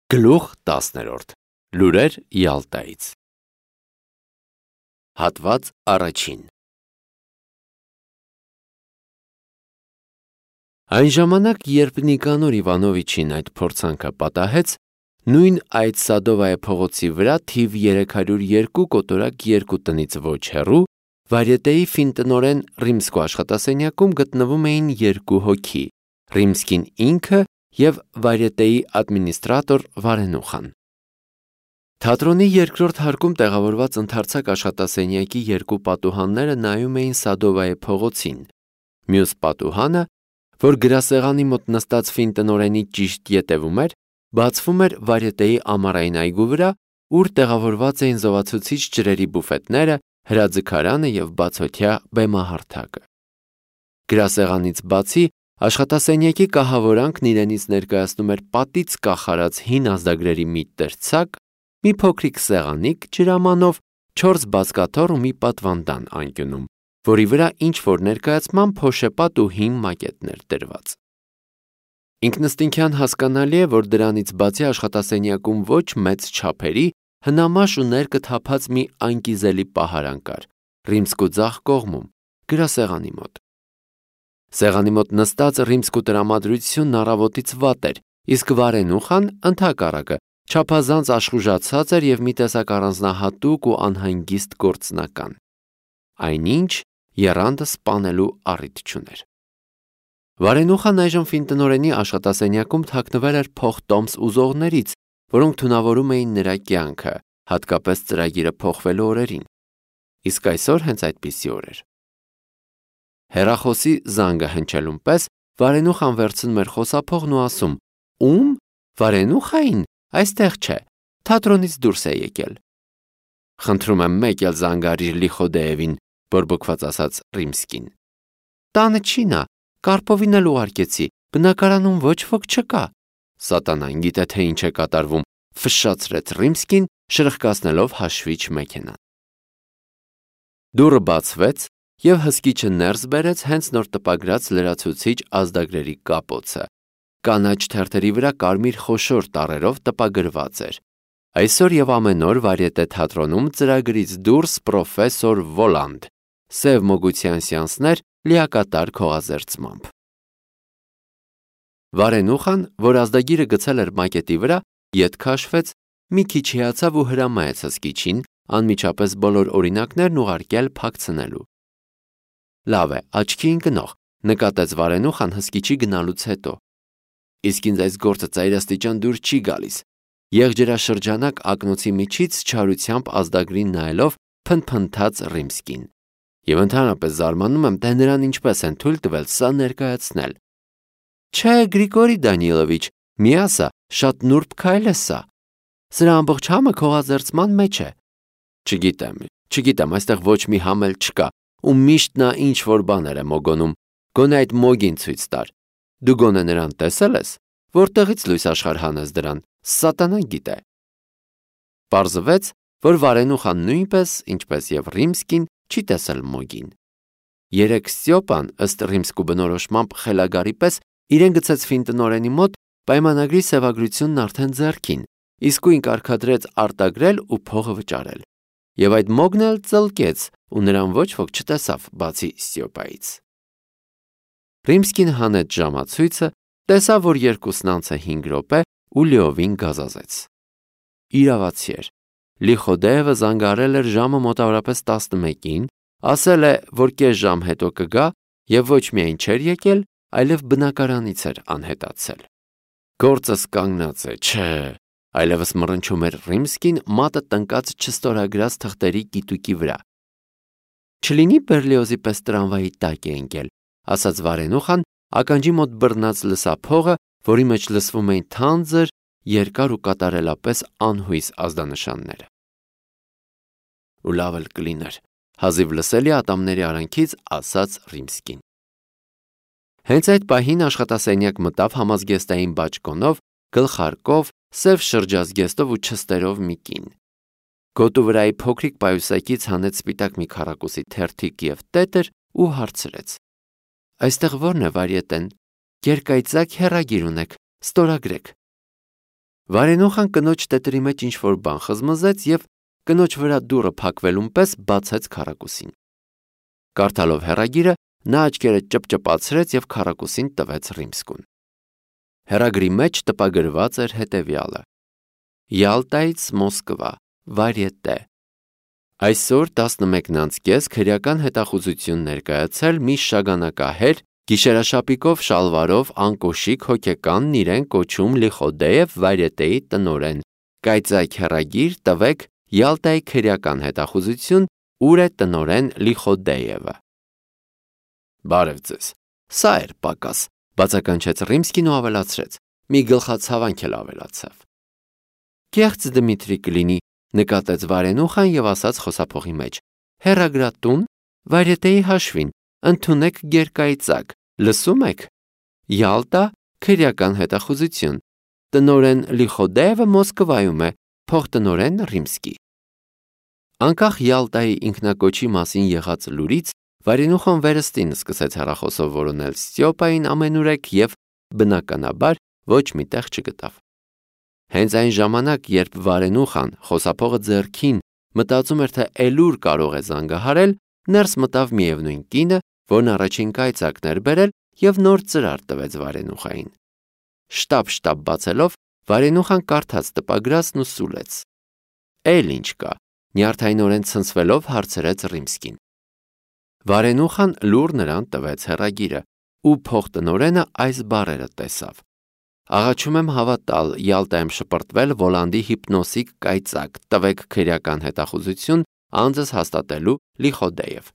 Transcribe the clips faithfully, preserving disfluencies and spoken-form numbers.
Գլուխ տասներորդ. Լուրեր Յալտայից։ Հատված առաջին։ Այն ժամանակ, երբ Նիկանոր Իվանովիչին այդ փորձանքը պատահեց, նույն այդ Սադովայե փողոցի վրա թիվ երեք հարյուր երկու կոտորակ երկու տնից ոչ հեռու, Վարյետեի ֆինտնօրեն Ռիմսկու աշխատասենյակում գտնվում էին երկու հոգի՝ Ռիմսկին ինքը և Վարյետեի ադմինիստրատոր Վարենուխան։ Թատրոնի երկրորդ հարկում տեղավորված ընդարձակ աշխատասենյակի երկու պատուհանները նայում էին Սադովայե փողոցին։ Մյուս պատուհանը, որ գրասեղանի մոտ նստած ֆինտնօրենի ճիշտ ետևում էր, բացվում էր Վարյետեի ամառային այգու վրա, ուր տեղավորված էին զովացուցիչ ջրերի բուֆետները, հրաձգարանը և բացօթյա բեմահարթակը։ Գրասեղանից բացի, աշխատասենյակի կահավորանքն իրենից ներկայացնում էր պատից կախարած հին ազդագրերի մի տրցակ, մի փոքրիկ սեղանիկ ջրամանով, չորս բազկաթոռ ու մի պատվանդան անկյունում, որի վրա ինչ-որ ներկայացման փոշեպատ ու հին մակետներ դրված։ Ինքնըստինքյան հասկանալի է, որ դրանից բացի աշխատասենյակում ոչ մեծ չափերի, հնամաշ ու ներկը թափած մի անկիզելի պահարան կար, Ռիմսկու ձախ կողմում, գրասեղանի մոտ։ Սեղանի մոտ նստած Ռիմսկու տրամադրությունն առավոտից վատ էր, իսկ Վարենուխան, ընդհակառակը, չափազանց աշխուժացած էր և մի տեսակ առանձնահատուկ ու անհանգիստ գործնական։ Այնինչ եռանդը սպանելու առիթ չուներ։ Վարենուխան այժմ ֆինտնօրենի աշխատասենյակում թաքնվել էր փոխտոմս ուզողներից, որոնք թունավորում էին նրա կյանքը, հատկապես ծրագիրը փոխվելու օրերին։ Իսկ այսօր հենց այդպիսի օր էր։ Հեռախոսի զանգը հնչելուն պես Վարենուխան վերցնում էր խոսափողն ու ասում. «Ում? Վարենուխային? Այստեղ չէ, թատրոնից դուրս է եկել»։ «Խնդրում եմ մեկ էլ զանգարիր Լիխոդեևին», բորբոքված ասաց Ռիմսկին։ «Տանը չի նա, Կարպովին էլ ուղարկեցի, բնակարանում ոչ ոք չկա»։ «Սատանան գիտե թե ինչ է կատարվում», ֆշշացրեց Ռիմսկին, շրխկացնելով հաշվիչ մեքենան։ Դուռը բացվեց, և հսկիչը ներս բերեց հենց նոր տպագրած լրացուցիչ ազդագրերի կապոցը։ Կանաչ թերթերի վրա կարմիր խոշոր տառերով տպագրված էր. «Այսօր և ամեն օր Վարյետե թատրոնում ծրագրից դուրս պրոֆեսոր Վոլանդ. սև մոգության սեանսներ լիակատար քողազերծմամբ»։ Վարենուխան, որ ազդագիրը գցել էր մակետի վրա, ետ քաշվեց, մի քիչ հիացավ ու հրամայեց հսկիչին անմիջապես բոլոր օրինակներն ուղարկել փակցնելու։ «Լավ է, աչքի ընկնող», նկատեց Վարենուխան հսկիչի գնալուց հետո։ «Իսկ ինձ այս գործը ծայրաստիճան դուր չի գալիս», եղջերաշրջանակ ակնոցի միջից չարությամբ ազդագրին նայելով փնթփնթաց Ռիմսկին։ «Եվ ընդհանրապես զարմանում եմ, թե նրան ինչպես են թույլ տվել սա ներկայացնել»։ «Չէ, Գրիգորի Դանիլովիչ, մի ասա, շատ նուրբ քայլ է սա։ Սրա ամբողջ համը քողազերծման մեջ է»։ «Չգիտեմ, չգիտեմ, այստեղ ոչ մի համ էլ չկա, ու միշտ նա ինչ-որ բաներ է մոգոնում, գոնե այդ մոգին ցույց տար։ Դու գոնե նրան տեսել ես, որտեղից լույս աշխարհ հանես դրան, սատանան գիտե»։ Պարզվեց, որ Վարենուխան նույնպես, ինչպես և Ռիմսկին, չի տեսել մոգին։ Երեկ Ստյոպան, ըստ Ռիմսկու բնորոշմամբ խելագարի պես, իրեն գցեց ֆինտնօրենի մոտ, պայմանագրի սևագրությունն արդեն ձեռքին, իսկույն կարգադրեց արտագրել ու փողը վճարել։ Եվ այդ մոգն էլ ծլկեց, ու նրան ոչ ոք չտեսավ, բացի Ստյոպայից։ Ռիմսկին հանեց ժամացույցը, տեսավ, որ երկուսն անց է հինգ րոպե ու լիովին գազազեց։ Իրավացի էր։ Լիխոդեևը զանգարել էր ժամը մոտավորապես տասնմեկին, ասել է, որ կես ժամ հետո կգա, և ոչ միայն չէր եկել, այլև բնակարանից էր անհետացել։ «Գործս կանգնած է, չէ», այլևս մռնչում էր Ռիմսկին մատը տնկած չստորագրած թղթերի կիտուկի վրա։ «Չլինի Բերլիոզի պես տրամվայի տակ է ընկել», ասաց Վարենուխան, ականջի մոտ բռնած լսափողը, որի մեջ լսվում էին թանձր, երկար ու կատարելապես անհույս ազդանշանները։ «Ու լավ էլ կլիներ», հազիվ լսելի ատամների արանքից ասաց Ռիմսկին։ Հենց այդ պահին աշխատասենյակ մտավ համազգեստային բաճկոնով, գլխարկով, սև շրջազգեստով ու չստերով մի կին։ Գոտու վրայի փոքրիկ պայուսակից հանեց սպիտակ մի քառակուսի թերթիկ և տետր ու հարցրեց. «Այստեղ ո՞րն է Վարյետեն, երկայծակ հեռագիր ունեք, ստորագրեք»։ Վարենուխան կնոջ տետրի մեջ ինչ-որ բան խզմզեց և կնոջ վրա դուռը փակվելուն պես բացեց քառակուսին։ Կարդալով հեռագիրը, նա աչքերը ճպճպացրեց և քառակուսին տվեց Ռիմսկուն։ Հեռագրի մեջ տպագրված էր հետևյալը. Յալտայից Մոսկվա, Վարյետե։ Այսօր տասնմեկն անց կես քրեական հետախուզություն ներկայացել մի շագանակահեր, գիշերաշապիկով շալվարով անկոշիկ հոգեկանն իրեն կոչում Լիխոդեև Վարյետեի տնօրեն, կայծակ հեռագիր տվեք Յալտայի քրեական հետախուզություն, ուր է տնօրեն Լիխոդեևը։ Բարև ձեզ, սա էր պակաս, բացականչեց Ռիմսկին ու ավելացրեց, մի գլխացավանք էլ ավելացավ։ Կեղծ Դմիտրի կլինի, նկատեց Վարենուխան և ասաց խոսափողի մեջ, հեռագրատուն, Վարյետեի հաշվին, ընդունեք գերկայծակ, լսում եք, Յալտա, քրեական հետախուզություն, տնօրեն Լիխոդեևը Մոսկվայում է, փոխտնօրեն Ռիմսկի։ Անկախ Յալտայի ինքնակոչի մասին եղած լուրից, Վարենուխան վերստին սկսեց հեռախոսով որոնել Ստյոպային ամենուրեք և, բնականաբար, ոչ մի տեղ չգտավ։ Հենց այն ժամանակ, երբ Վարենուխան խոսափողը ձեռքին մտածում էր, թե էլուր կարող է զանգահարել, ներս մտավ միևնույն կինը, որն առաջին կայծակն էր բերել և նոր ծրար տվեց Վարենուխային։ Շտապ-շտապ բացելով, Վարենուխան կարդաց տպագրածն ու սուլեց։ Էլ ինչ կա, նյարդայնորեն ցնցվելով հարցրեց Ռիմսկին։ Վարենուխան լուռ նրան տվեց հեռագիրը, ու փոխտնօրենը այս բառերը տեսավ. Աղաչում եմ հավատալ, Յալտայում շպրտվել Վոլանդի հիպնոսիկ կայծակ, տվեք քրեական հետախուզություն, անձս հաստատելու Լիխոդեև։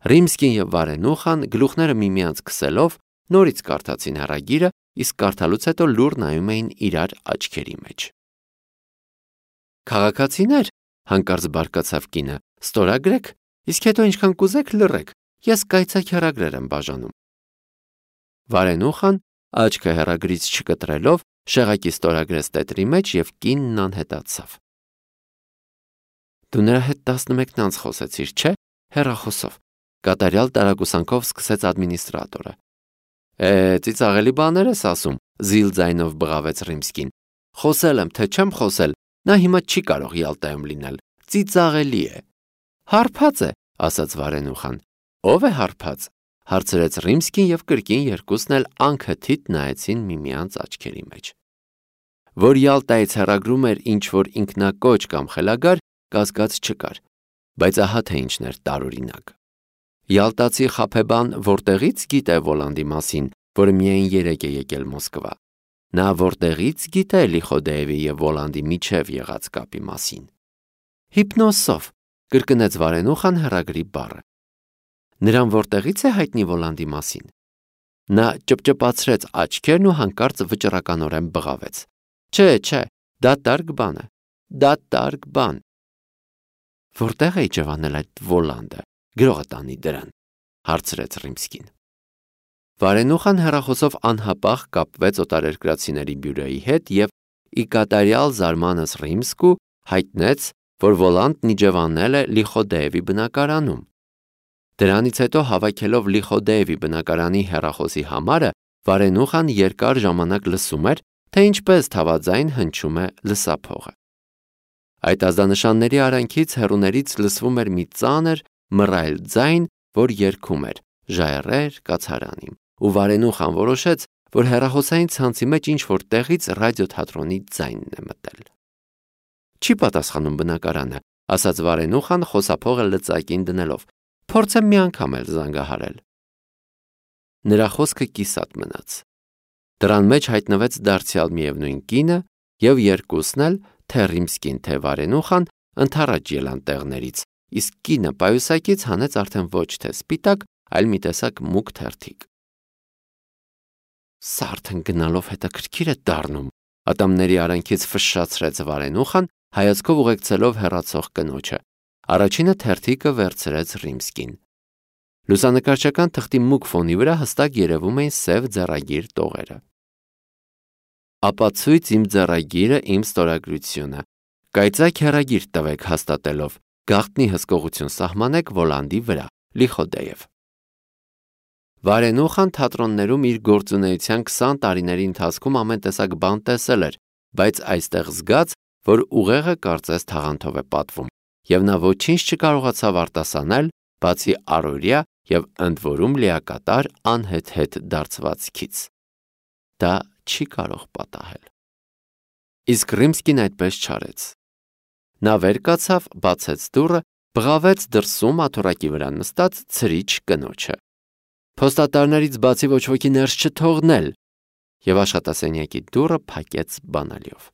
Ռիմսկին և Վարենուխան գլուխները միմյանց քսելով նորից կարդացին հեռագիրը, իսկ կարդալուց հետո լուռ նայում էին իրար աչքերի մեջ։ Քաղաքացիներ, հանկարծ բարկացավ կինը, ստորագրեք, իսկ հետո ինչքան կուզեք լռեք, ես կայծակ հեռագրեր եմ բաժանում։ Վարենուխան, աչքը հեռագրից չկտրելով, շեղակի ստորագրեց տետրի մեջ և կինն անհետացավ։ Դու նրա հետ տասնմեկն անց խոսեցիր, չէ՞, հեռախոսով, կատարյալ տարակուսանքով սկսեց ադմինիստրատորը։ Է, ծիծաղելի բաներ ես ասում, զիլ ձայնով բղավեց Ռիմսկին։ Խոսել եմ, թե չեմ խոսել, նա հիմա չի կարող Յալտայում լինել, ծիծաղելի է։ Հարբած է, ասաց Վարենուխան։ Ո՞վ է հարբած, հարցրեց Ռիմսկին և կրկին երկուսն էլ անքթիթ նայեցին միմյանց աչքերի մեջ։ Որ Յալտայից հեռագրում էր ինչ-որ ինքնակոչ կամ խելագար, կասկած չկար, բայց ահա թե ինչն էր տարօրինակ։ Յալտացի խաբեբան որտեղից գիտե Վոլանդի մասին, որը միայն երեկ է եկել Մոսկվա։ Նա որտեղից գիտե Լիխոդեևի և Վոլանդի միջև եղած կապի մասին։ Հիպնոսով, կրկնեց Վարենուխան հեռագրի բառը։ Նրան որտեղից է հայտնի Վոլանդի մասին։ Նա ճպճպացրեց աչքերն ու հանկարծ վճռականորեն բղավեց։ Չէ, չէ, դա տարգ բան է, դա տարգ բան։ Որտեղ է ջվանել այդ Վոլանդը, գրողը տանի դրան, հարցրեց Ռիմսկին։ Վարենուխան հեռախոսով անհապաղ կապվեց օտարերկրացիների բյուրոյի հետ և ի կատարյալ զարմանս Ռիմսկու հայտնեց, որ Վոլանդն իջևանել է Լիխոդեևի բնակարանում։ Դրանից հետո հավաքելով Լիխոդեևի բնակարանի հեռախոսի համարը, Վարենուխան երկար ժամանակ լսում էր, թե ինչպես թավաձայն հնչում է լսափողը։ Այդ ազդանշանների արանքից հեռուներից լսվում էր մի ծանր, մռայլ ձայն, որ երգում էր «Ժայռեր կացարանիմ», ու Վարենուխան որոշեց, որ հեռախոսային ցանցի մեջ ինչ-որ տեղից ռադիոթատրոնի ձայնն է մտել։ Չի պատասխանում բնակարանը, ասաց Վարենուխան խոսափողը լծակին դնելով, փորձեմ մի անգամ էլ զանգահարել։ Նրա խոսքը կիսատ մնաց։ Դրան մեջ հայտնվեց դարձյալ միևնույն կինը, և երկուսն էլ, թե Ռիմսկին, թե Վարենուխան, ընդառաջ ելան տեղներից, իսկ կինը պայուսակից հանեց արդեն ոչ թե սպիտակ, այլ մի տեսակ մուգ թերթիկ։ Սա արդեն գնալով հետաքրքիր է դառնում, ատամների արանքից ֆշշացրեց Վարենուխան, հայացքով ուղեկցելով հեռացող կնոջը։ Առաջինը թերթիկը վերցրեց Ռիմսկին։ Լուսանկարչական թղթի մուգ ֆոնի վրա հստակ երևում էին սև ձեռագիր տողերը։ Ապացույց իմ ձեռագիրը, իմ ստորագրությունը։ Կայծակ հեռագիր տվեք հաստատելով, գաղտնի հսկողություն սահմանեք Վոլանդի վրա, Լիխոդեև։ Վարենուխան թատրոններում իր գործունեության քսան տարիների ընթացքում ամեն տեսակ բան տեսել էր, բայց այստեղ զգաց, որ ուղեղը կարծես թաղանթով է պատվում, եւ նա ոչինչ չկարողացավ արտասանել, բացի առօրյա եւ ընդ որում լիակատար անհեթեթ դարձվածքից։ Դա չի կարող պատահել։ Իսկ Ռիմսկին այդպես չարեց։ Նա վեր կացավ, բացեց դուռը, բղավեց դրսում աթոռակի վրա նստած ցրիչ կնոջը։ Փոստատարներից բացի ոչ ոքի ներս չթողնել, եւ աշխատասենյակի դուռը փակեց բանալիով։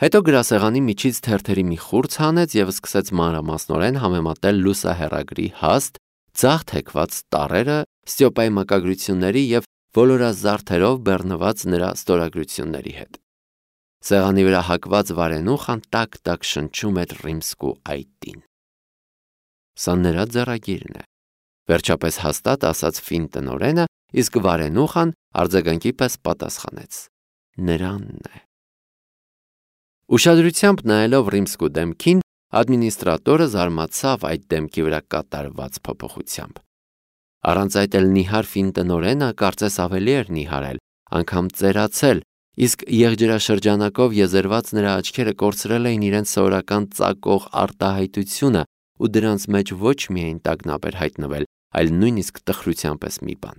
Հետո գրասեղանի միջից թերթերի մի խուրձ հանեց եւ սկսեց մանրամասնորեն համեմատել լուսահեռագրի հաստ, ձախ թեքված տառերը Ստյոպայի մակագրությունների եւ ոլորազարդերով բեռնված նրա ստորագրությունների հետ։ Սեղանի վրա հակված վարենուխան տակ-տակ շնչում էր Ռիմսկու այտին։ Սա նրա ձեռագիրն է, վերջապես հաստատ ասաց ֆին տնօրենը, իսկ վարենուխան արձագանքի պես պատասխանեց. Նրանն է։ Ուշադրությամբ նայելով Ռիմսկու դեմքին, ադմինիստրատորը զարմացավ այդ դեմքի վրա կատարված փոփոխությամբ։ Առանց այդ էլ նիհար ֆին տնօրենը կարծես ավելի էր նիհարել, անգամ ծերացել, իսկ եղջերաշրջանակով եզերված նրա աչքերը կորցրել էին իրենց սովորական ծակող արտահայտությունը ու դրանց մեջ ոչ միայն տագնապ էր հայտնվել, այլ նույնիսկ տխրության պես մի բան։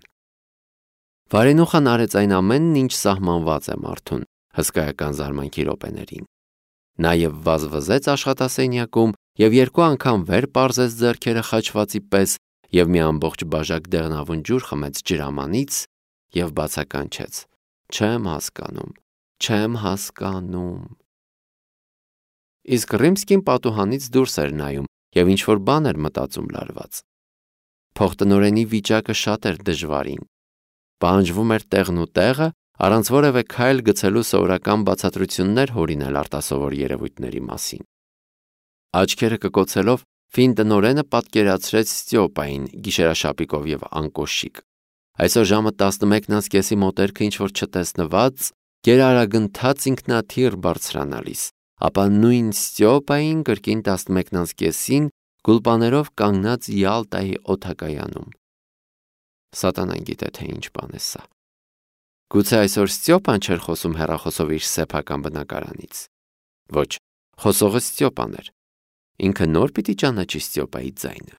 Վարենուխան արեց այն ամենն, ինչ սահմանված է մարդուն հսկայական զարմանքի րոպեներին։ Նաև վազվզեց աշխատասենյակում եւ երկու անգամ վեր պարզեց ձեռքերը խաչվածի պես եւ մի ամբողջ բաժակ դեղնավուն ջուր խմեց ջրամանից եւ բացականչեց. Չեմ հասկանում, չեմ հասկանում։ Իսկ Ռիմսկին պատուհանից դուրս էր նայում եւ ինչ որ բան էր մտածում լարված։ Փոխտնօրենի վիճակը շատ էր դժվարին։ Պահանջվում էր տեղն ու տեղը, առանց որևէ քայլ գցելու սովորական բացատրություններ հորինել արտասովոր երևույթների մասին։ Աչքերը կկոցելով ֆին տնօրենը պատկերացրեց Ստյոպային գիշերաշապիկով եւ անկոշիկ։ Այսօր ժամը տասնմեկն անց կեսի մոտերքը ինչ որ չտեսնված, գերարագընթաց ինքնաթիռ բարձրանալիս, ապա նույն Ստյոպային կրկին տասնմեկն անց կեսին գուլպաներով կանգնած Յալտայի օդակայանում։ Սատանան գիտե թե ինչ բան է սա։ Գուցե այսօր Ստյոպան չէր խոսում հեռախոսով իր սեփական բնակարանից։ Ոչ, խոսողը Ստյոպան էր։ Ինքը նոր պիտի ճանաչի Ստյոպայի ձայնը։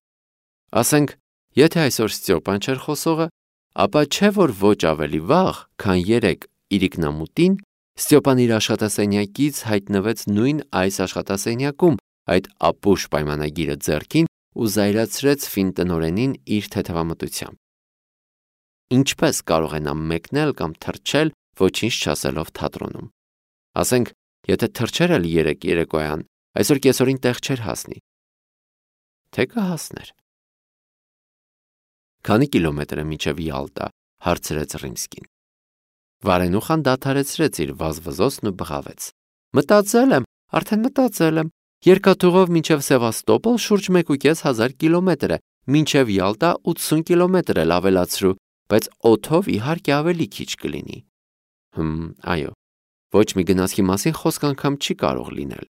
Ասենք, եթե այսօր Ստյոպան չէր խոսողը, ապա չէ որ ոչ ավելի վաղ, քան երեկ իրիկնամուտին Ստյոպան իր աշխատասենյակից հայտնվեց նույն այս աշխատասենյակում, այդ ապուշ պայմանագիրը ձեռքին ու զայրացրեց ֆին տնօրենին իր թեթևամտությամբ։ Ինչպես կարող է նա մեկնել կամ թռչել, ոչինչ չասելով թատրոնում։ Ասենք, եթե թռչեր էլ երեկ երեկոյան, այսօր կեսօրին տեղ չէր հասնի։ Թե կհասներ։ Քանի կիլոմետր է մինչև Յալտա, հարցրեց Ռիմսկին։ Վարենուխան դադարեցրեց իր վազվզոցն ու բղավեց. Մտածել եմ, արդեն մտածել եմ, երկաթուղով մինչև Սևաստոպոլ շուրջ մեկ ու կես հազար կիլոմետր է, մինչև Յալտա ութսուն կիլոմետր էլ ավելացրու, բայց օդով իհարկե ավելի քիչ կլինի։ Հմ, այո, ոչ մի գնացքի մասին խոսք անգամ չի կարող լինել։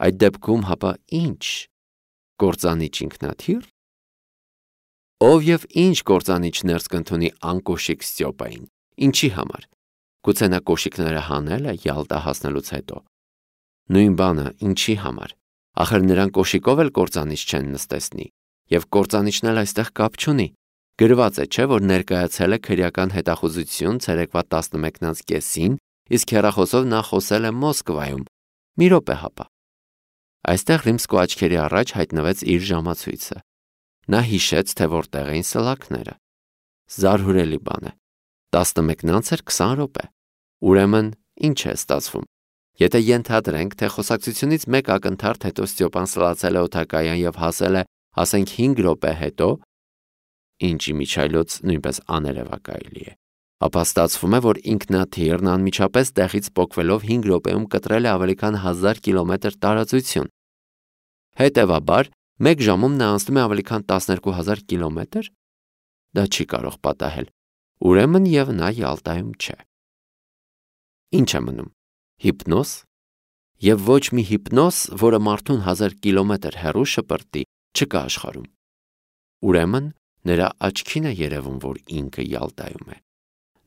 Այդ դեպքում հապա ինչ։ Կործանիչ ինքնաթիռ։ Ով եւ ինչ կործանիչ ներս կընդունի անկոշիկ Ստյոպային, ինչի համար։ Գուցե նա կոշիկները հանել է Յալտա հասնելուց հետո։ Նույն բանը, ինչի համար։ Ախր նրան կոշիկով էլ կործանիչ չեն նստեցնի, եւ կործանիչն էլ այստեղ կապ չունի։ Գրված է, չէ, որ ներկայացել է քրեական հետախուզություն ցերեկվա տասնմեկն անց կեսին, իսկ հեռախոսով նա խոսել է Մոսկվայում։ Մի րոպե հապա։ Այստեղ Ռիմսկու աչքերի առաջ հայտնվեց իր ժամացույցը։ Նա հիշեց, թե որտեղ էին սլաքները։ Զարհուրելի բան է։ տասնմեկն անց էր քսան րոպե։ Ուրեմն, ինչ է ստացվում։ Եթե ենթադրենք, թե խոսակցությունից մեկ ակնթարթ հետո Ստյոպան սլացել է օդակայան եւ հասել է, ասենք հինգ րոպե հետո, ինչի միջայլոց նույնպես աներևակայելի է, ապա ստացվում է, որ ինքնաթիռն անմիջապես տեղից պոկվելով հինգ րոպեում կտրել է ավելի քան հազար կիլոմետր տարածություն։ Հետևաբար, մեկ ժամում նա անցնում է ավելի քան տասներկու հազար կիլոմետր։ Դա չի կարող պատահել։ Ուրեմն եւ նա Յալտայում չէ։ Ինչ է մնում։ Հիպնոզ։ Եվ ոչ մի հիպնոզ, որը մարդուն հազար կիլոմետր հեռու շպրտի, չկա աշխարհում։ Ուրեմն նրա աչքին է երևում, որ ինքը Յալտայում է։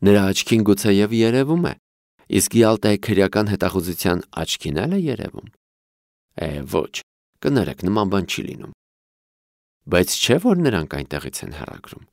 Նրա աչքին գուցե եւ երևում է, Իսկ Յալտայի քրեական հետախուզության աչքին էլ է երևում։ Է, ոչ, կներեք, նման բան չի լինում։ Բայց չէ՞ որ նրանք այնտեղից են հեռագրում։